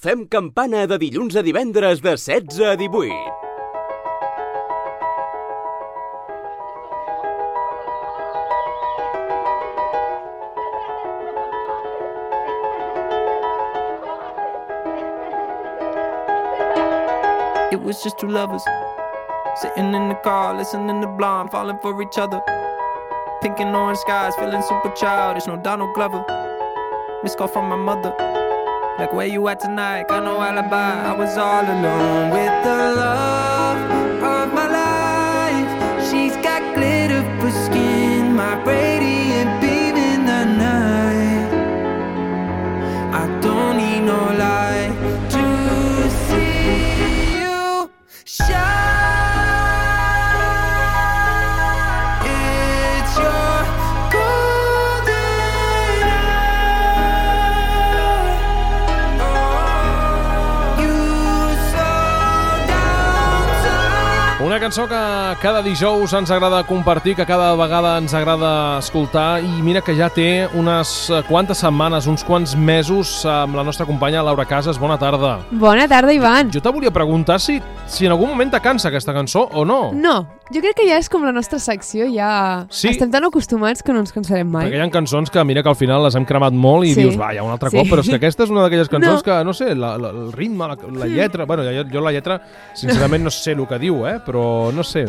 Fem campana de dilluns a divendres de 16 a 18. It was just two lovers sitting in the car, listening to Blonde, falling for each other. Pink and orange skies, feeling super childish, no Donald Glover. Missed call from my mother, like where you at tonight, got no alibi. I was all alone with the love of my life. She's got glitter for skin, my radiant beam in the night. I don't need no light to see you shine. It's your golden hour. You slow down time. Una cançó que cada dijous ens agrada compartir, que cada vegada ens agrada escoltar, i mira que ja té unes quantes setmanes, uns quants mesos amb la nostra companya Laura Casas. Bona tarda. Bona tarda, Ivan. Jo te volia preguntar si en algun moment te cansa aquesta cançó o no. No, jo crec que ja és com la nostra secció, ja Sí. estem tan acostumats que no ens cansarem mai. Perquè hi ha cançons que mira que al final les hem cremat molt i Sí. dius, va, ja un altre Sí. cop, però és que aquesta és una d'aquelles cançons No. que, no sé, el ritme, la lletra... Bueno, jo la lletra, sincerament, no sé el que diu, però no sé...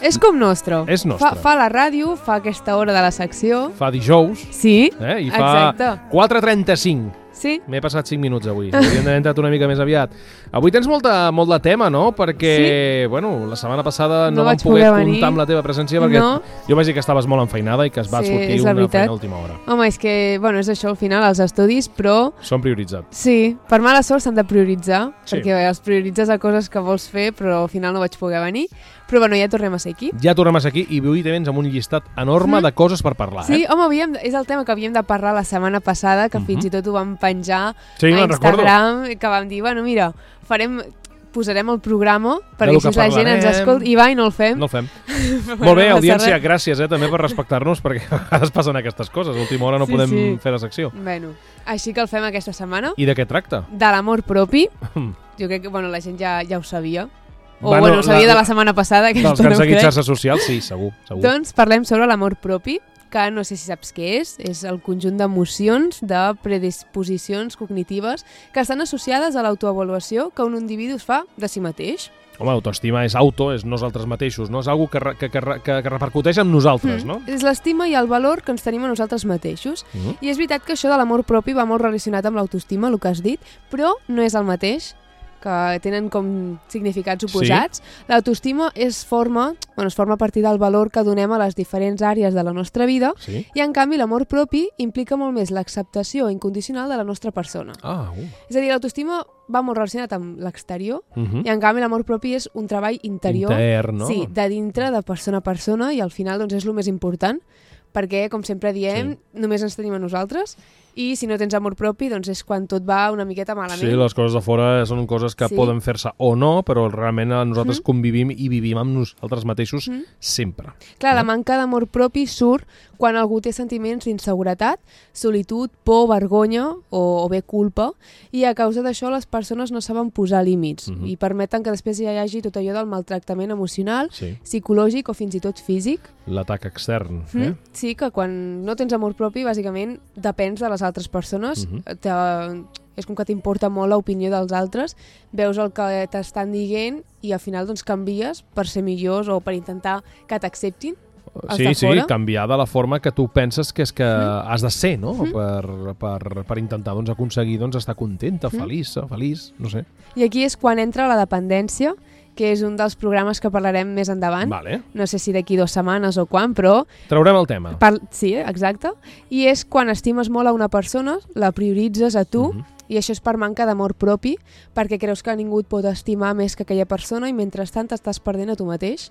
És com nostre. És nostre. Fa la ràdio, fa aquesta hora de la secció. Fa dijous, Sí, i fa exacte. 4:35. Sí. M'he passat 5 minuts avui. Hauríem d'haver entrat una mica més aviat. Avui tens molt de tema, no? Perquè, bueno, la setmana passada no vam vaig poder poder venir. comptar amb la teva presència perquè No. jo vaig dir que estaves molt enfeinada i que es va Sí, sortir és la una veritat. feina a última hora. Home, és que, bueno, és això al final, els estudis, però Són prioritzats. sí, per mala sort s'han de prioritzar, Sí. perquè els prioritzes a coses que vols fer, però al final no vaig poder venir. Però bueno, ja tornem a ser aquí. Ja tornem a ser aquí i avui vens amb un llistat enorme de coses per parlar. Sí, home, és el tema que havíem de parlar la setmana passada, que fins i tot ho vam penjar Sí, a me'n Instagram, que vam dir, bueno, mira, posarem el programa perquè Del així que la gent ens parlarem. escolta. I va, i no el fem. No el fem. Bueno, Molt bé, no passa audiència, res. gràcies també per respectar-nos, perquè a vegades passen aquestes coses. A última hora no Sí, podem sí. fer la secció. Bueno, així que el fem aquesta setmana. I de què tracta? De l'amor propi. Jo crec que bueno, la gent ja ho sabia. O Bueno, ho sabia de la setmana passada. Dels que han seguit xarxes socials, sí, segur. Doncs parlem sobre l'amor propi, que no sé si saps què és el conjunt d'emocions, de predisposicions cognitives que estan associades a l'autoavaluació que un individu es fa de si mateix. Home, autoestima és és nosaltres mateixos, no? És algo que repercuteix en nosaltres, no? És l'estima i el valor que ens tenim a nosaltres mateixos. I és veritat que això de l'amor propi va molt relacionat amb l'autoestima, el que has dit, però no és el mateix, que tenen com significats oposats. Sí. L'autoestima es forma a partir del valor que donem a les diferents àrees de la nostra vida, Sí. i en canvi l'amor propi implica molt més l'acceptació incondicional de la nostra persona. És a dir, l'autoestima va molt relacionat amb l'exterior, i en canvi l'amor propi és un treball interior, intern, no? Sí, de dintre, de persona a persona, i al final doncs, és el més important, perquè, com sempre diem, només ens tenim a nosaltres, i si no tens amor propi, doncs és quan tot va una miqueta malament. Sí, les coses de fora són coses que poden fer-se o no, però realment nosaltres convivim i vivim amb nosaltres mateixos sempre. Clar, la manca d'amor propi surt quan algú té sentiments d'inseguretat, solitud, por, vergonya o bé culpa, i a causa d'això les persones no saben posar límits i permeten que després hi hagi tot allò del maltractament emocional, psicològic o fins i tot físic. L'atac extern. Sí, que quan no tens amor propi, bàsicament depens de les altres persones, és com que t'importa molt l'opinió dels altres, veus el que t'estan dient i al final doncs canvies per ser millors o per intentar que t'acceptin. Sí, canviar de la forma que tu penses que és que has de ser, no? Per intentar aconseguir estar contenta, feliç, no sé. I aquí és quan entra la dependència, que és un dels programes que parlarem més endavant. Vale. No sé si d'aquí 2 setmanes o quan, però... Traurem el tema. Sí, exacte. I és quan estimes molt a una persona, la prioritzes a tu, i això és per manca d'amor propi, perquè creus que ningú et pot estimar més que aquella persona i mentrestant t'estàs perdent a tu mateix.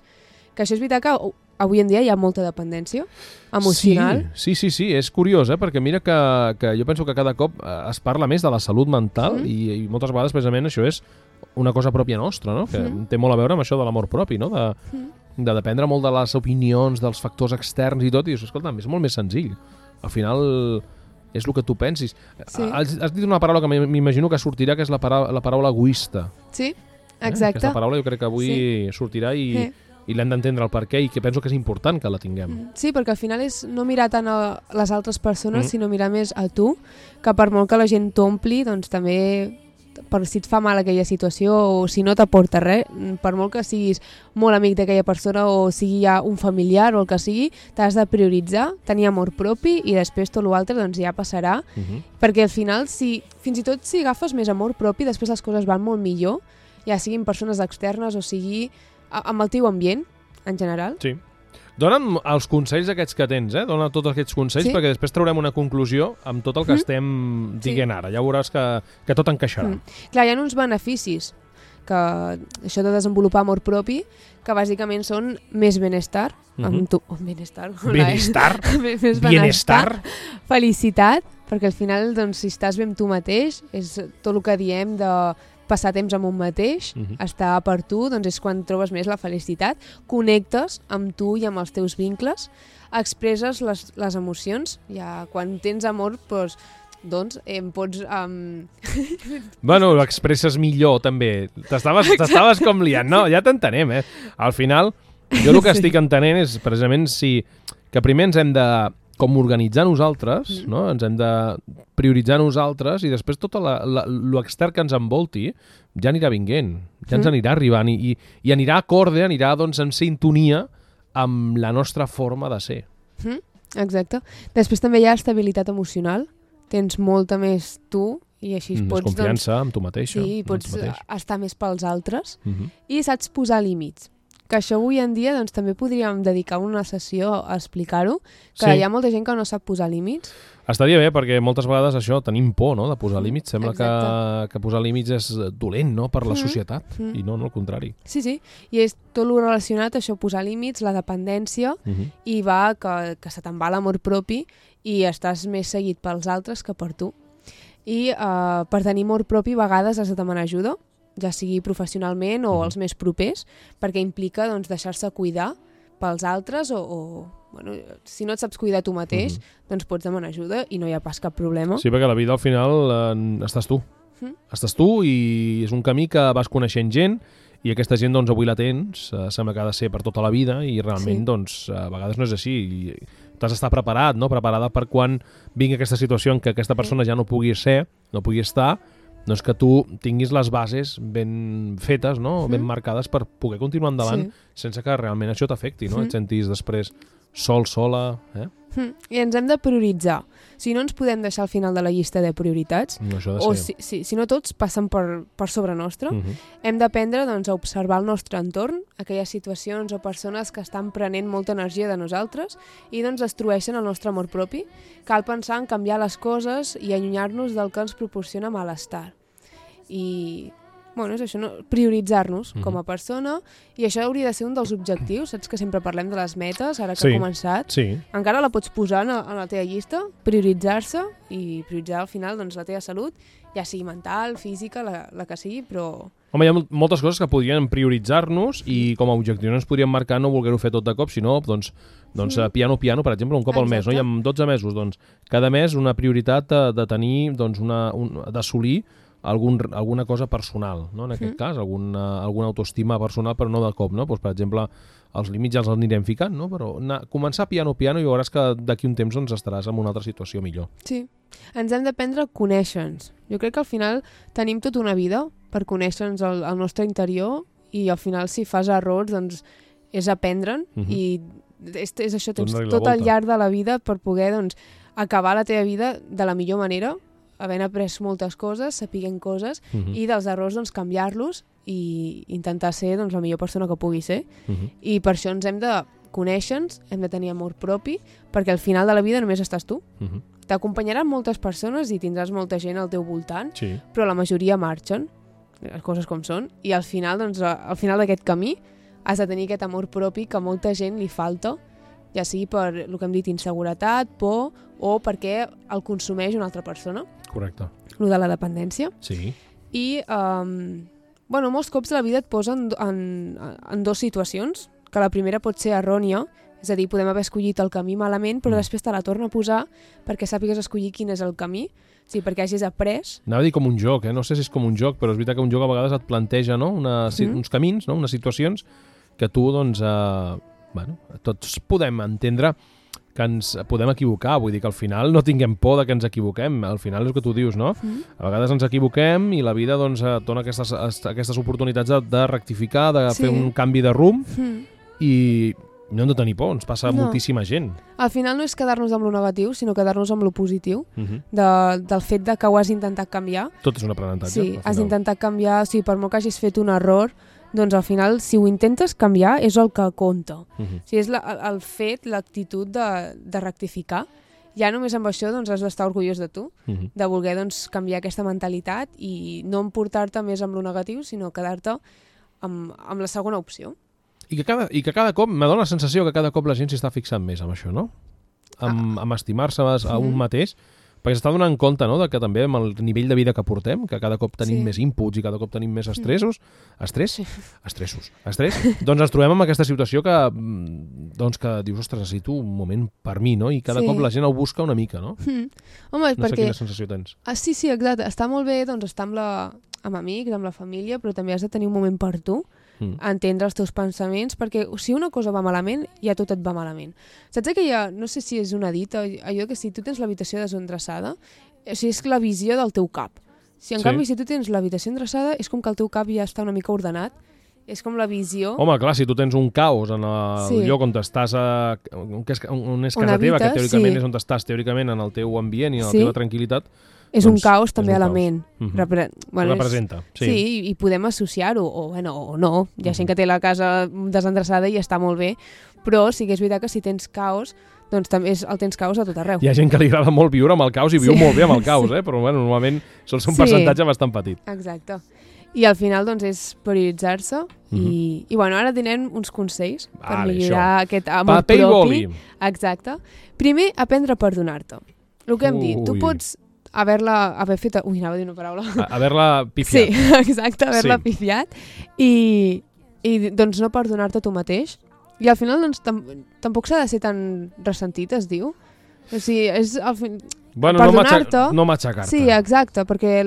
Que això és veritat que avui en dia hi ha molta dependència emocional. Sí, és curiós, perquè mira que jo penso que cada cop es parla més de la salut mental i moltes vegades precisament això és una cosa pròpia nostra, no? Que té molt a veure amb això de l'amor propi, no? De dependre molt de les opinions, dels factors externs i tot, i això, escolta'm, és molt més senzill. Al final és el que tu pensis. Sí. Has dit una paraula que m'imagino que sortirà, que és la paraula egoista. Sí, exacte. Aquesta paraula jo crec que avui sortirà i l'hem d'entendre el per què, i que penso que és important que la tinguem. Sí, perquè al final és no mirar tant a les altres persones, sinó mirar més a tu, que per molt que la gent t'ompli, doncs també, per si et fa mal aquella situació o si no t'aporta res, per molt que siguis molt amic d'aquella persona o sigui ja un familiar o el que sigui, t'has de prioritzar, tenir amor propi i després tot l'altre doncs ja passarà, perquè al final, fins i tot si agafes més amor propi, després les coses van molt millor, ja siguin persones externes o sigui amb el teu ambient, en general. Sí. Dona'm els consells aquests que tens, dona tots aquests consells, perquè després traurem una conclusió amb tot el que estem dient ara. Ja veuràs que tot encaixarà. Clar, hi ha uns beneficis, que això de desenvolupar amor propi, que bàsicament són més benestar, amb tu, benestar, felicitat, perquè al final, doncs, si estàs bé amb tu mateix, és tot el que diem de passar temps amb un mateix, estar per tu, doncs és quan trobes més la felicitat, connectes amb tu i amb els teus vincles, expresses les emocions, ja quan tens amor, doncs em pots... Bueno, ho expresses millor també, t'estaves com liant, no, ja t'entenem, Al final, jo el que estic entenent és precisament que primer ens hem de com organitzar nosaltres, no? Ens hem de prioritzar nosaltres i després tot l'extern que ens envolti ja anirà vinguent, ja ens anirà arribant i anirà acorde, anirà doncs, en sintonia amb la nostra forma de ser. Exacte. Després també hi ha estabilitat emocional, tens molta més tu i així pots... Més confiança amb tu mateixa. Sí, pots estar més pels altres i saps posar límits. Que això avui en dia doncs, també podríem dedicar una sessió a explicar-ho, que hi ha molta gent que no sap posar límits. Estaria bé, perquè moltes vegades això tenim por, no?, de posar límits. Sembla que posar límits és dolent, no?, per la societat, i no, al contrari. Sí, i és tot el relacionat, això, posar límits, la dependència, i va que se te'n va l'amor propi i estàs més seguit pels altres que per tu. I per tenir amor propi a vegades has de demanar ajuda, ja sigui professionalment o els més propers, perquè implica doncs, deixar-se cuidar pels altres o bueno, si no et saps cuidar tu mateix, doncs pots demanar ajuda i no hi ha pas cap problema. Sí, perquè la vida al final estàs tu. Estàs tu i és un camí que vas coneixent gent i aquesta gent doncs, avui la tens, sembla que ha de ser per tota la vida i realment doncs, a vegades no és així. I t'has d'estar preparat, no? Preparada per quan vingui aquesta situació en què aquesta persona ja no pugui ser, no pugui estar, doncs que tu tinguis les bases ben fetes, no? Ben marcades per poder continuar endavant sense que realment això t'afecti, no? Et sentis després sola, I ens hem de prioritzar. Si no ens podem deixar al final de la llista de prioritats, o si no tots passen per sobre nostre, hem d'aprendre doncs, a observar el nostre entorn, aquelles situacions o persones que estan prenent molta energia de nosaltres i doncs destrueixen el nostre amor propi. Cal pensar en canviar les coses i allunyar-nos del que ens proporciona malestar. I bueno, és això, no? Prioritzar-nos com a persona, i això hauria de ser un dels objectius. Saps que sempre parlem de les metes, ara que ha començat? Encara la pots posar en la teva llista, prioritzar-se i prioritzar al final doncs, la teva salut, ja sigui mental, física, la que sigui, però... Home, hi ha moltes coses que podrien prioritzar-nos i com a objectiu no ens podríem marcar no voler-ho fer tot de cop, sinó doncs piano, per exemple, un cop al mes, no? I en 12 mesos, doncs, cada mes una prioritat de tenir, doncs, d'assolir alguna cosa personal, no? En aquest cas, alguna autoestima personal, però no de cop, no? Pues, per exemple, els límits ja els anirem ficant, no? Però començar piano i veuràs que d'aquí un temps doncs, estaràs en una altra situació millor. Sí, ens hem d'aprendre a conèixer-nos. Jo crec que al final tenim tota una vida per conèixer-nos al nostre interior i al final si fas errors doncs és aprendre'n i és això, tens tot al llarg de la vida per poder doncs, acabar la teva vida de la millor manera, havent après moltes coses, sapiguent coses, i dels errors doncs, canviar-los i intentar ser doncs, la millor persona que pugui ser. I per això ens hem de conèixer-nos, hem de tenir amor propi, perquè al final de la vida només estàs tu. T'acompanyaran moltes persones i tindràs molta gent al teu voltant, però la majoria marxen, les coses com són, i al final d'aquest camí has de tenir aquest amor propi que a molta gent li falta, ja sigui per el que hem dit, inseguretat, por, o perquè el consumeix una altra persona. Correcte. Lo de la dependència. Sí. I, molts cops la vida et posa en dues situacions, que la primera pot ser errònia, És a dir, podem haver escollit el camí malament, però després te la torna a posar perquè sàpigues escollir quin és el camí, sí, perquè hagis après. Anava a dir com un joc, no sé si és com un joc, però és veritat que un joc a vegades et planteja, no? Uns camins, no? Unes situacions que tu, doncs, tots podem entendre que ens podem equivocar, vull dir que al final no tinguem por de que ens equivoquem, al final és el que tu dius, no? A vegades ens equivoquem i la vida doncs dona aquestes oportunitats de rectificar, de fer un canvi de rumb i no hem de tenir por, ens passa moltíssima gent. Al final no és quedar-nos amb lo negatiu, sinó quedar-nos amb lo positiu, del fet de que ho has intentat canviar. Tot és un aprenentatge. Sí, has intentat canviar, o sigui, per molt que hagis fet un error, doncs al final, si ho intentes canviar, és el que compta. O sigui, és el fet, l'actitud de rectificar. Ja només amb això doncs, has d'estar orgullós de tu, de voler doncs, canviar aquesta mentalitat i no emportar-te més amb lo negatiu, sinó quedar-te amb la segona opció. I que cada cop, me dona la sensació que cada cop la gent s'hi està fixant més amb això, no? Amb estimar-se a un mateix, perquè s'està donant compte, no?, de que també amb el nivell de vida que portem, que cada cop tenim més inputs i cada cop tenim més estrès, doncs ens trobem amb aquesta situació que dius, ostres, necessito un moment per mi, no? I cada cop la gent ho busca una mica, no? Home, no sé quina sensació tens. Sí, exacte. Està molt bé doncs, estar amb amics, amb la família, però també has de tenir un moment per tu, entendre els teus pensaments, perquè si una cosa va malament, ja tot et va malament. Saps que no sé si és una dita, allò que si tu tens l'habitació desendreçada, o sigui, és la visió del teu cap. Si en canvi si tu tens l'habitació endreçada, és com que el teu cap ja està una mica ordenat, és com la visió... Home, clar, si tu tens un caos en el lloc on estàs, on és casa teva, que teòricament és on estàs teòricament en el teu ambient i en la teva tranquil·litat, és un caos també a la ment. Representa, sí. Sí, i podem associar-ho, o no. Hi ha gent que té la casa desendreçada i està molt bé, però sí que és veritat que si tens caos, doncs també el tens caos a tot arreu. Hi ha gent que li agrada molt viure amb el caos i viu molt bé amb el caos, però normalment sol ser un percentatge bastant petit. Exacte. I al final doncs és prioritzar-se i ara tenen uns consells per millorar aquest amor propi. Paper i boli. Exacte. Primer, aprendre a perdonar-te. El que hem dit, tu pots haver fet... anava a dir una paraula. Haver-la pifiat. Sí, exacte, haver-la pifiat. I doncs no perdonar-te tu mateix. I al final doncs, tampoc s'ha de ser tan ressentit, es diu. O sigui, és... perdonar-te... No matxacar-te. Sí, exacte, perquè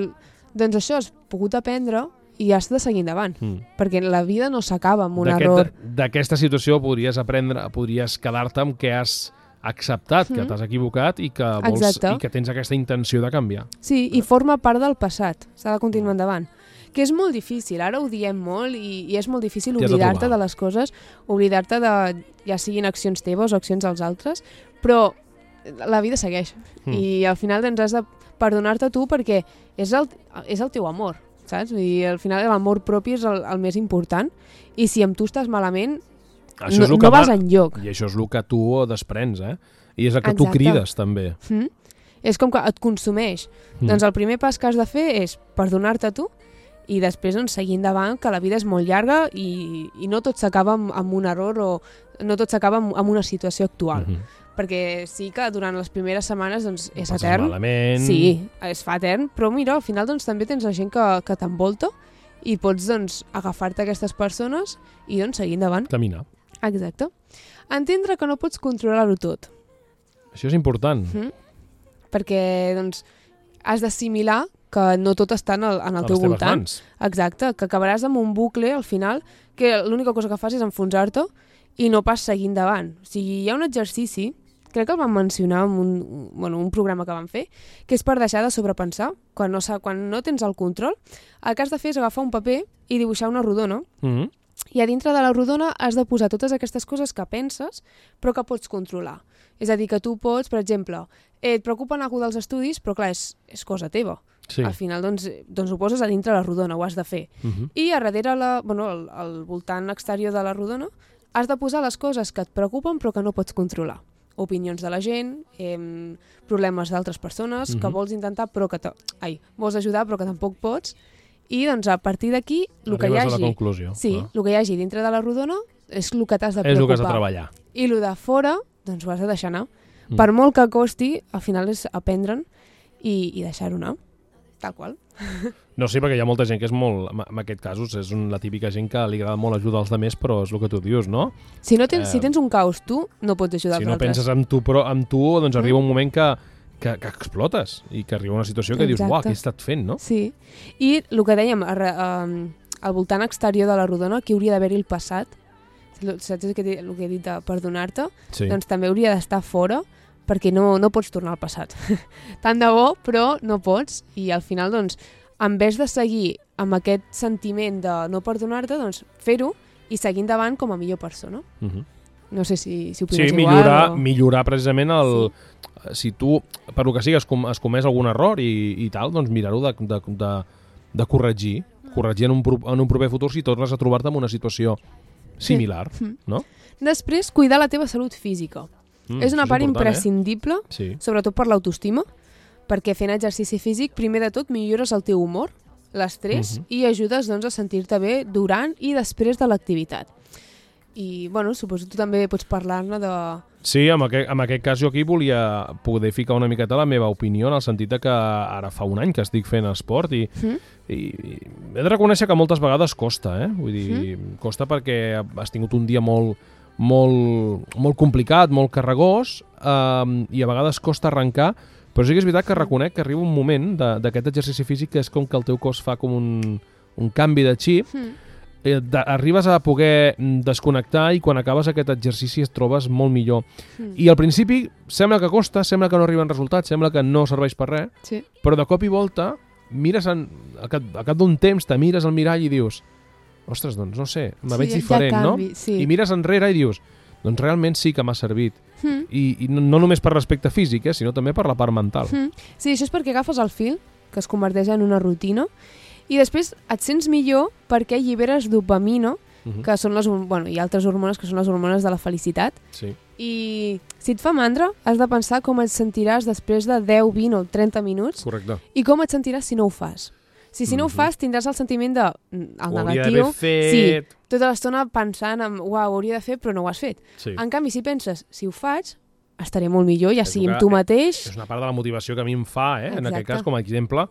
doncs això has pogut aprendre i has de seguir endavant. Perquè la vida no s'acaba amb un error. D'aquesta situació podries quedar-te amb què has acceptat que t'has equivocat i que vols i que tens aquesta intenció de canviar. Sí, i forma part del passat. S'ha de continuar endavant. Que és molt difícil, ara ho diem molt i és molt difícil oblidar-te de les coses, oblidar-te de, ja siguin accions teves o accions dels altres, però la vida segueix. I al final doncs, has de perdonar-te tu perquè és el teu amor, saps? I al final l'amor propi és el més important i si amb tu estàs malament no vas enlloc. I això és el que tu desprens, I és el que tu crides, també. És com que et consumeix. Doncs el primer pas que has de fer és perdonar-te tu i després doncs, seguir endavant, que la vida és molt llarga i no tot s'acaba amb un error o no tot s'acaba amb una situació actual. Perquè sí que durant les primeres setmanes doncs, és etern. Malament. Sí, es fa etern, però mira, al final doncs, també tens la gent que t'envolta i pots doncs, agafar-te aquestes persones i doncs, seguir endavant. Caminar. Exacte. Entendre que no pots controlar-ho tot. Això és important. Perquè doncs, has d'assimilar que no tot està en el teu voltant. Mans. Exacte, que acabaràs amb un bucle al final que l'única cosa que fas és enfonsar-te i no pas seguir endavant. O sigui, hi ha un exercici, crec que el vam mencionar en un programa que vam fer, que és per deixar de sobrepensar. Quan no tens el control, el que has de fer és agafar un paper i dibuixar una rodona. I a dintre de la rodona has de posar totes aquestes coses que penses però que pots controlar. És a dir, que tu pots, per exemple, et preocupen alguna dels estudis, però clar, és cosa teva. Sí. Al final doncs ho poses a dintre la rodona, ho has de fer. I a darrere, al voltant exterior de la rodona, has de posar les coses que et preocupen però que no pots controlar. Opinions de la gent, problemes d'altres persones que vols intentar però que vols ajudar però que tampoc pots. I doncs a partir d'aquí el que hi hagi, a la conclusió. Sí, el que hi hagi dintre de la rodona és el que t'has de preocupar. És el que has de treballar. I el de fora, doncs ho has de deixar anar. Per molt que costi, al final és aprendre'n i deixar-ho anar. Tal qual. No, sí, perquè hi ha molta gent que és molt... En aquest cas és la típica gent que li agrada molt ajudar els altres, però és el que tu dius, no? Si tens un caos tu, no pots ajudar els altres. Si no penses en tu, doncs arriba un moment que explotes i que arriba una situació que dius, uah, què he estat fent, no? Sí, i el que dèiem, al voltant exterior de la rodona, aquí hauria d'haver-hi el passat, saps el que he dit de perdonar-te? Sí. Doncs també hauria d'estar fora, perquè no pots tornar al passat. Tant de bo, però no pots, i al final, doncs, en vez de seguir amb aquest sentiment de no perdonar-te, doncs fer-ho i seguir endavant com a millor persona. No sé si ho opines igual. Sí, millorar precisament el... Sí. Si tu, per lo que sigui, has comès algun error i tal, doncs mirar-ho de corregir en un proper futur si tornes a trobar-te en una situació similar, no? Després, cuidar la teva salut física. És una part imprescindible, sobretot per l'autoestima, perquè fent exercici físic, primer de tot, millores el teu humor, l'estrès, i ajudes doncs, a sentir-te bé durant i després de l'activitat. I, bueno, suposo que tu també pots parlar-ne de... Sí, en aquest cas jo aquí volia poder ficar una miqueta la meva opinió en el sentit que ara fa un any que estic fent esport i he de reconèixer que moltes vegades costa, Vull dir, costa perquè has tingut un dia molt complicat, molt carregós, i a vegades costa arrencar, però sí que és veritat que reconec que arriba un moment d'aquest exercici físic que és com que el teu cos fa com un canvi de xip, arribes a poder desconnectar i quan acabes aquest exercici et trobes molt millor. I al principi sembla que costa, sembla que no arriben resultats, sembla que no serveix per res, però de cop i volta mires al cap d'un temps, te mires al mirall i dius, ostres, doncs no sé, me veig diferent, no? I mires enrere i dius, doncs realment sí que m'ha servit. I no només per respecte físic, sinó també per la part mental. Sí, això és perquè agafes el fil, que es converteix en una rutina, i després et sents millor perquè alliberes dopamina, que són i altres hormones que són les hormones de la felicitat. I si et fa mandra, has de pensar com et sentiràs després de 10, 20 o 30 minuts. Correcte. I com et sentiràs si no ho fas. Si no ho fas, tindràs el sentiment de el negatiu. Sí, tota l'estona pensant en uau, ho hauria de fer, però no ho has fet. En canvi, si penses, si ho faig, estaré molt millor, ja sigui amb tu mateix. És una part de la motivació que a mi em fa, en aquest cas, com a exemple,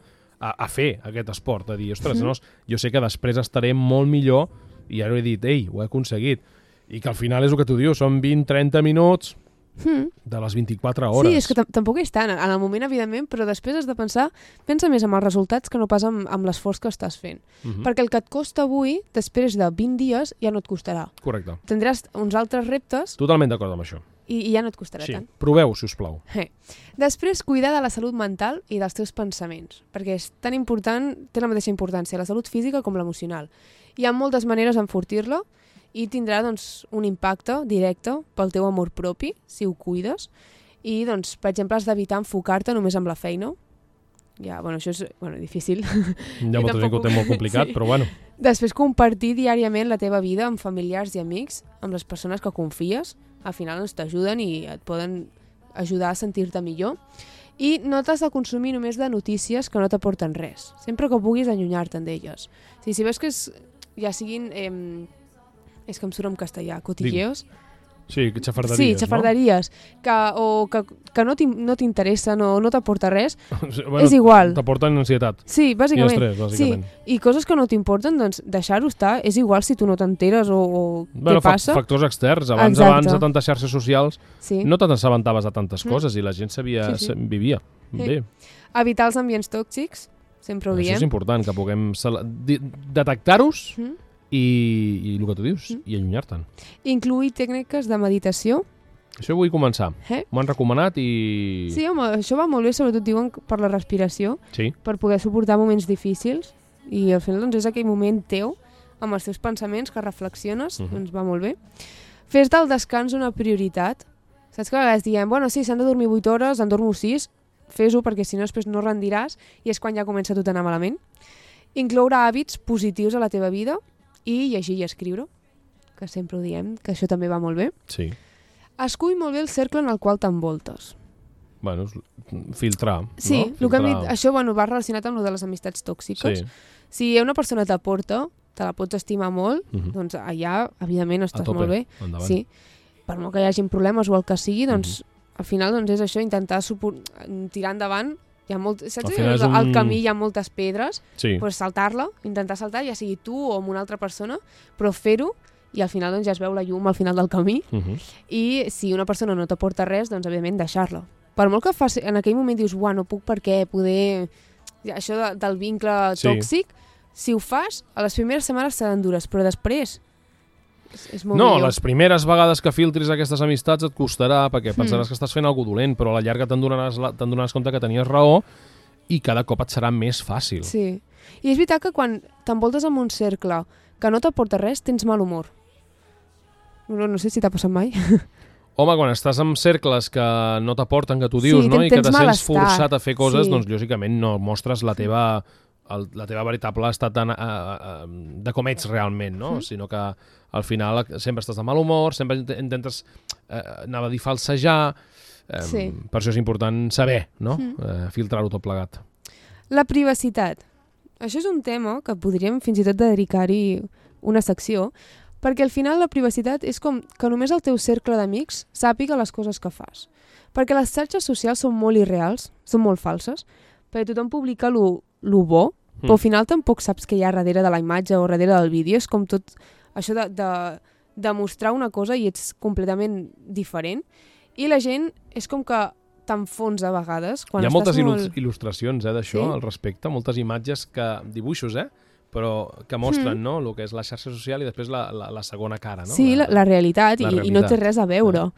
a fer aquest esport, a dir, ostres, jo sé que després estaré molt millor i ara he dit, ei, ho he aconseguit. I que al final és el que tu dius, són 20-30 minuts de les 24 hores. Sí, és que tampoc és tant, en el moment, evidentment, però després has de pensa més en els resultats que no pas amb l'esforç que estàs fent. Perquè el que et costa avui, després de 20 dies, ja no et costarà. Correcte. Tindràs uns altres reptes. Totalment d'acord amb això. I ja no et costarà tant. Proveu, si us plau. Després, cuidar de la salut mental i dels teus pensaments, perquè és tan important, té la mateixa importància la salut física com l'emocional. Hi ha moltes maneres d'enfortir-la i tindrà doncs, un impacte directe pel teu amor propi, si ho cuides, i, doncs, per exemple, has d'evitar enfocar-te només amb la feina. Ja, això és difícil. Hi ha molta gent que ho té molt complicat, però bueno. Després, compartir diàriament la teva vida amb familiars i amics, amb les persones que confies, al final t'ajuden i et poden ajudar a sentir-te millor. I no t'has de consumir només de notícies que no t'aporten res. Sempre que puguis allunyar-te'n d'elles. Si veus que ja siguin... és que em surt en castellà, cotilleos. Sí, xafarderies, sí, xafarderies, no? que no t'interessen o no t'aporta res, és igual. T'aporten ansietat. Sí, bàsicament. I estrès, bàsicament. Sí. I coses que no t'importen, doncs deixar-ho estar, és igual si tu no t'enteres o què passa. Factors externs. Abans de tantes xarxes socials no t'assabentaves de tantes coses i la gent vivia. Bé. Evitar els ambients tòxics, sempre ho diem. Això és important, que puguem detectar-los i el que tu dius, i allunyar-te'n. Incluir tècniques de meditació. Això vull començar. M'ho han recomanat i... Sí, home, això va molt bé, sobretot diuen per la respiració, per poder suportar moments difícils, i al final doncs, és aquell moment teu, amb els teus pensaments, que reflexiones, doncs va molt bé. Fes del descans una prioritat. Saps que a vegades diem, sí, s'han de dormir 8 hores, en dormo 6, fes-ho perquè si no després no rendiràs i és quan ja comença tot a anar malament. Incloure hàbits positius a la teva vida i llegir i escriure, que sempre ho diem, que això també va molt bé. Sí. Escull molt bé el cercle en el qual t'envoltes. Filtrar. Sí, no? El que hem dit, això va relacionat amb el de les amistats tòxiques. Sí. Si una persona t'aporta, te la pots estimar molt, doncs allà, evidentment, estàs molt bé. Endavant. Sí. Per molt que hi hagi problemes o el que sigui, doncs al final doncs, és això, intentar tirar endavant saps? Al final és Al camí hi ha moltes pedres, Sí. doncs saltar-la, intentar saltar, ja sigui tu o amb una altra persona, però fer-ho, i al final doncs, ja es veu la llum al final del camí, i si una persona no t'aporta res, doncs evidentment deixar-la. Per molt que en aquell moment dius, no puc perquè poder... Això del vincle tòxic, si ho fas, a les primeres setmanes seran dures, però després és molt millor. Les primeres vegades que filtris aquestes amistats et costarà, perquè pensaràs que estàs fent alguna cosa dolent, però a la llarga te'n donaràs compte que tenies raó i cada cop et serà més fàcil. Sí. I és veritat que quan t'envoltes en un cercle que no t'aporta res, tens mal humor. No sé si t'ha passat mai. Home, quan estàs en cercles que no t'aporten, que tu dius, no? I que te sents forçat a fer coses, doncs lògicament no mostres la teva veritable estat de com ets realment, no? Sinó que al final sempre estàs de mal humor, sempre intentes, anava a dir, falsejar. Per això és important saber, no? Filtrar-ho tot plegat. La privacitat. Això és un tema que podríem fins i tot dedicar-hi una secció, perquè al final la privacitat és com que només el teu cercle d'amics sàpiga les coses que fas. Perquè les xarxes socials són molt irreals, són molt falses, perquè tothom publica lo bo, però al final tampoc saps què hi ha darrere de la imatge o darrere del vídeo. És com tot això de mostrar una cosa i ets completament diferent. I la gent és com que t'enfonsa a vegades. Hi ha moltes il·lustracions d'això al respecte, moltes imatges, dibuixos, però que mostren el que és la xarxa social i després la segona cara. No? Sí, la realitat, i no té res a veure.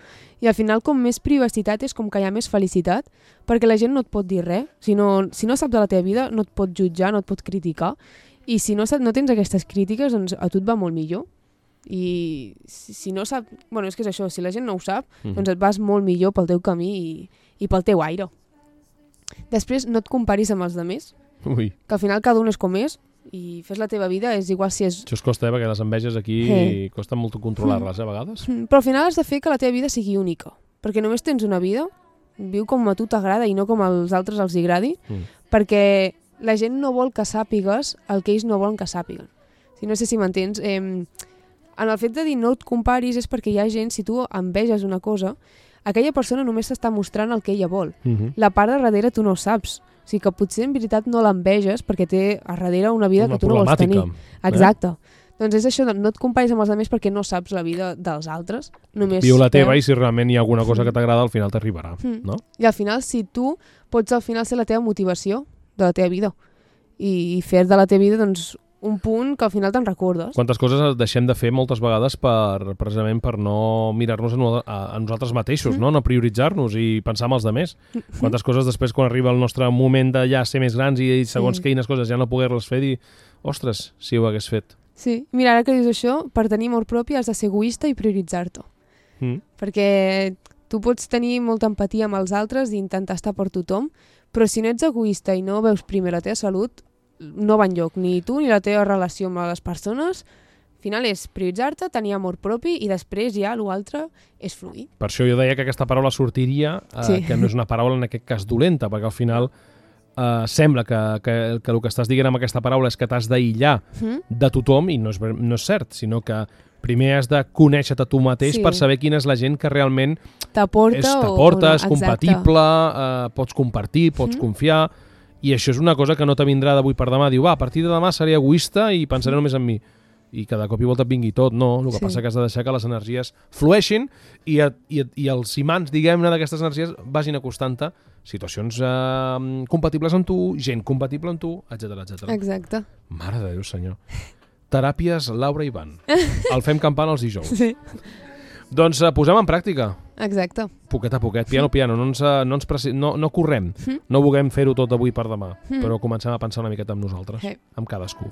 I al final, com més privacitat és com que hi ha més felicitat, perquè la gent no et pot dir res. Si no sap de la teva vida, no et pot jutjar, no et pot criticar. I si no tens aquestes crítiques, doncs a tu et va molt millor. I si no sap... Bueno, és que és això, si la gent no ho sap, doncs et vas molt millor pel teu camí i pel teu aire. Després, no et comparis amb els altres, que al final cada un és com és, i fes la teva vida, és igual si és... Això es costa, perquè les enveges aquí costa molt controlar-les, a vegades. Però al final has de fer que la teva vida sigui única, perquè només tens una vida, viu com a tu t'agrada i no com als altres els agradi, perquè la gent no vol que sàpigues el que ells no volen que sàpiguen. No sé si m'entens. En el fet de dir no et comparis és perquè hi ha gent, si tu enveges una cosa, aquella persona només s'està mostrant el que ella vol. La part de darrere tu no ho saps. O sigui que potser en veritat no l'enveges perquè té a darrere una vida que tu no vols tenir. Exacte. Doncs és això, no et comparis amb els altres perquè no saps la vida dels altres. Viu la teva i si realment hi ha alguna cosa que t'agrada al final t'arribarà. No? I al final, si tu pots al final ser la teva motivació de la teva vida i fer de la teva vida doncs un punt que al final te'n recordes. Quantes coses deixem de fer moltes vegades precisament per no mirar-nos a nosaltres mateixos, no prioritzar-nos i pensar en els altres. Quantes coses després, quan arriba el nostre moment de ja ser més grans i segons quines coses ja no poder-les fer, dir, ostres, si ho hagués fet. Sí, mira, ara que dius això, per tenir amor propi has de ser egoista i prioritzar-te. Perquè tu pots tenir molta empatia amb els altres i intentar estar per tothom, però si no ets egoista i no veus primer la teva salut, no va enlloc, ni tu ni la teva relació amb les persones. Al final és prioritzar-te, tenir amor propi i després ja l'altre és fluir. Per això jo deia que aquesta paraula sortiria, que no és una paraula en aquest cas dolenta, perquè al final sembla que el que estàs dient amb aquesta paraula és que t'has d'aïllar de tothom i no és cert, sinó que primer has de conèixer-te tu mateix per saber quina és la gent que realment t'aporta, és compatible, pots compartir, pots confiar. I això és una cosa que no te vindrà d'avui per demà. Diu, a partir de demà seré egoista i pensaré només en mi. I cada cop i volta et vingui tot. No, el que passa que has de deixar que les energies flueixin i els imants, diguem-ne, d'aquestes energies vagin acostant-te situacions compatibles amb tu, gent compatible amb tu, etc. Exacte. Mare de Déu, senyor. Teràpies Laura i Ivan. El fem campant els dijous. Sí. Doncs posem en pràctica. Exacte. Poquet a poquet, piano, no correm, no vulguem fer-ho tot avui per demà, però comencem a pensar una miqueta amb nosaltres, amb cadascú.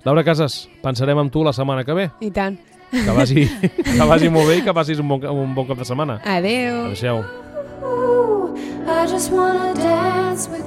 Laura Casas, pensarem amb tu la setmana que ve. I tant. Que vagi molt bé i que passis un bon cap de setmana. Adéu. Adéu. I just wanna dance with